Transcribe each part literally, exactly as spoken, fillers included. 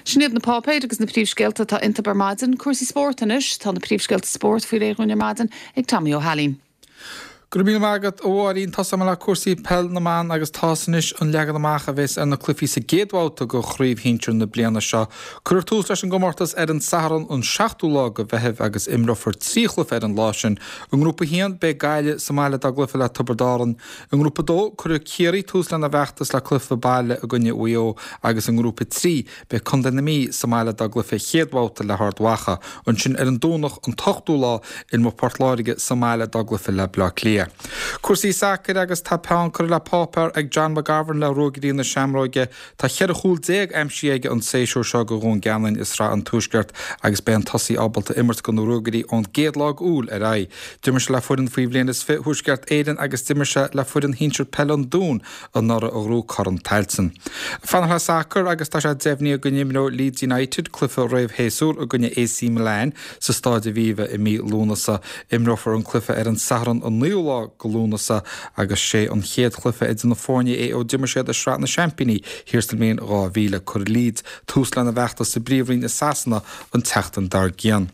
Sin iad na páipéir agus na príomhscéalta atá iontu ar maidin cúrsaí spóirt anois tá na príomhscéalta spóirt faoi réir ar maidin ag Tommy Ó hAilín. Go raibh míle maith agat a Mháirín tosóidh mé le cúrsaí peil na mban agus tá anois an leagan amach a bheas ar na cluichí sa gcéad bhabhta de chraobh shinsir na bliana seo. Cuirfear tús leis an gcomórtas ar an Satharn an seachtú lá de Mheitheamh agus imreofar trí chluiche ar an lá sin. I ngrúpa haon beidh Gaillimh sa mbaile dá gcluiche le Tiobraid Árann. I ngrúpa dó cuirfidh Ciarraí tús lena bhfeachtas le cluiche baile i gcoinne Mhaigh Eo agus i ngrúpa trí beidh Contae na Mí sa mbaile dá gcluiche chéad bhabhta le hArd Mhacha. Ansin ar an Domhnach an t-ochtú lá imreoidh Port Láirge sa mbaile dá gcluiche le Bleá Cliath. Cúrsaí sacair agus tá peann curtha le páipéar ag John McGovern le Ruagairí na Seamróige. Tá ceithre chúl déag aimsithe aige an séasúr seo do Dhún Geanainn i Sraith an Tuaiscirt agus beidh an tosaí ábalta imirt do na Ruagairí ón gcéad lá d'Iúil ar aghaidh. D'imir sé le foireann faoi bhliain is fiche Thuaisceart Éireann agus d'imir sé le foireann shinsir peile an Dúin anuraidh a ghnóthaigh Corn Tailteann. Fanacht le sacar agus tá sé deimhnithe go n-imreoidh Leeds United cluiche réamhshéasúir i gcoinne AC Milan sa Staid Aviva i mí Lúnasa. Imreofar an cluiche ar an Satharn an naoú lá de Lúnasa agus sé an chéad chluiche idir na foirne é ó d'imir siad i Sraith na Seaimpíní thiar sa mbliain dhá mhíle. Cuirfidh Leeds tús lena bhfeachtas sa bPríomhroinn i Sasana an tseachtain dár gcionn.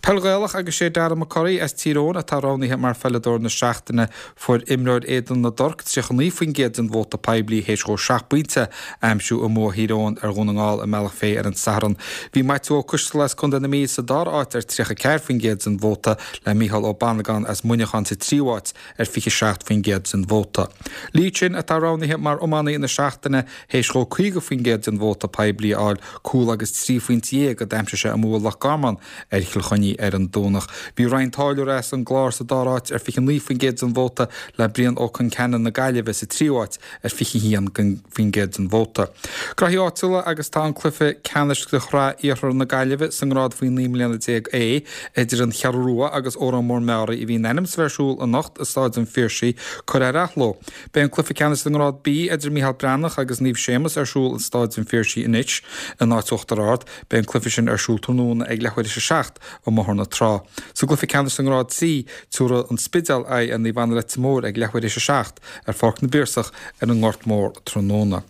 Peil Ghaelach agus sé Darragh McCurry as Tír Eoghain atá roghnaithe mar pheileadóir na seachtaine. Fuair imreoir Éadan na dTorc tríocha naoi faoin gcéad den vóta poiblí théis dhó seacht bpointe a aimsiú i mbua Thír Eoghain ar Dhún na nGall i mBealach Féich ar an Satharn. Bhí Maitiú Ó Coisteala as Contae na Mí sa dara háit ar tríocha ceathair faoin gcéad den vóta, le Mícheál Ó Bannagáin as Muineachán sa tríú háit ar fiche seacht faoin gcéad den vóta. Lee Chin atá roghnaithe mar iománaí na seachtaine théis dhó caoga faoin gcéad den vóta poiblí a fháil, cúl agus trí phointe dhéag a d'aimsigh sé i mbua Loch Garman ar Chill Chainnigh ar an Domhnach. Bhí Ryan Táilliúir as an gClár sa dara háit ar fiche naoi faoin gcéad den vóta le Brian Ó Conceanainn na Gaillimhe sa tríú háit ar fiche haon faoin gcéad den vóta. Graithí áitiúla agus tá an cluiche ceannais de Shraith Iarthar na Gaillimhe sa ngrád faoi naoi mbliana déag A idir an Cheathrú Rua agus Órán Mór Meáraí a bhí in ainm is a bheith ar siúl anocht i Stáid an Phiarsaigh curtha ar athló. Beidh an cluiche ceannais sa ngrád B idir Mícheál Breathnach agus Naomh Séamus ar siúl in Stáid an Phiarsaigh anois in áit Uachtar Ard. Beidh an cluiche sin ar siúl tráthnóna ag leathuair théis a seacht i mBóthar na Trá. Sa gcluiche ceannais sa ngrád C, tabharfaidh an Spidéal aghaidh ar Naomh Anna Leitir Móir ag leathuair théis a seacht ar Pháirc na bPiarsach ar an nGort Mór tráthnóna.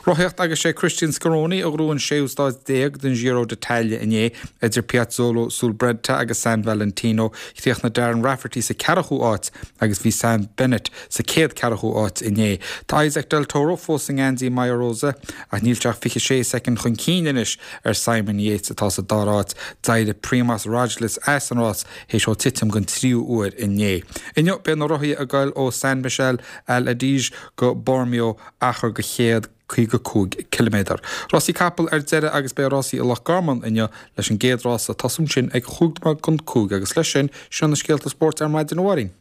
Rothaíocht agus sé Christian Scaroni a ghnóthaigh an séú stáid déag den Giro d'Italia inné idir Piazzolo sul Brenta agus San Valentino. Chríochnaigh Darren Rafferty sa ceathrú áit agus bhí Sam Bennett sa chéad ceathrú áit inné. Tá Isaac Del Toro fós i ngeansaí Maglia Rosa ach níl sé ach fiche sé soicind chun cinn anois ar Simon Yates atá sa dara háit. D'éirigh Primoz Roglic as an rás théis dó titim den tríú huair inné. Inniu beidh na rothaithe ag goil ó San Michele all'Adige go Bormio achar de chéad caoga cúig ciliméadar. Rásaí capall ar deireadh agus beidh rásaí i Loch Garman inniu leis an gcéad rása ag tosú ansin ag chúig nóiméad don cúig agus leis sin, seo na scéalta spóirt ar maidin a Mháirín.